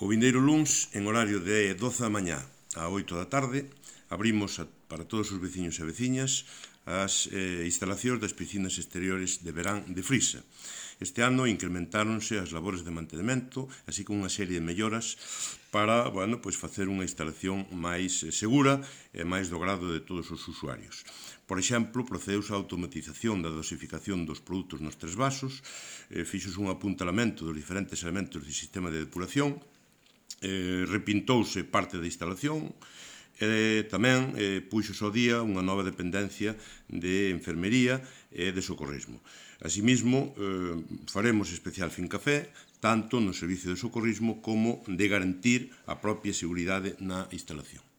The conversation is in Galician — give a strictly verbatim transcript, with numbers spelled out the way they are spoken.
O vindeiro luns, en horario de doce da mañá a oito da tarde, abrimos a, para todos os veciños e veciñas as eh, instalacións das piscinas exteriores de verán de Frisa. Este ano incrementáronse as labores de mantenimento, así como unha serie de melloras para, bueno, pois facer unha instalación máis segura e máis do grado de todos os usuarios. Por exemplo, procedeuse a automatización da dosificación dos produtos nos tres vasos, eh, fixose un apuntalamento dos diferentes elementos do sistema de depuración, eh, repintouse parte da instalación, e tamén eh, puxose ao día unha nova dependencia de enfermería e de socorrismo. Asimismo, eh, faremos especial fincafé tanto no servicio de socorrismo como de garantir a propia seguridade na instalación.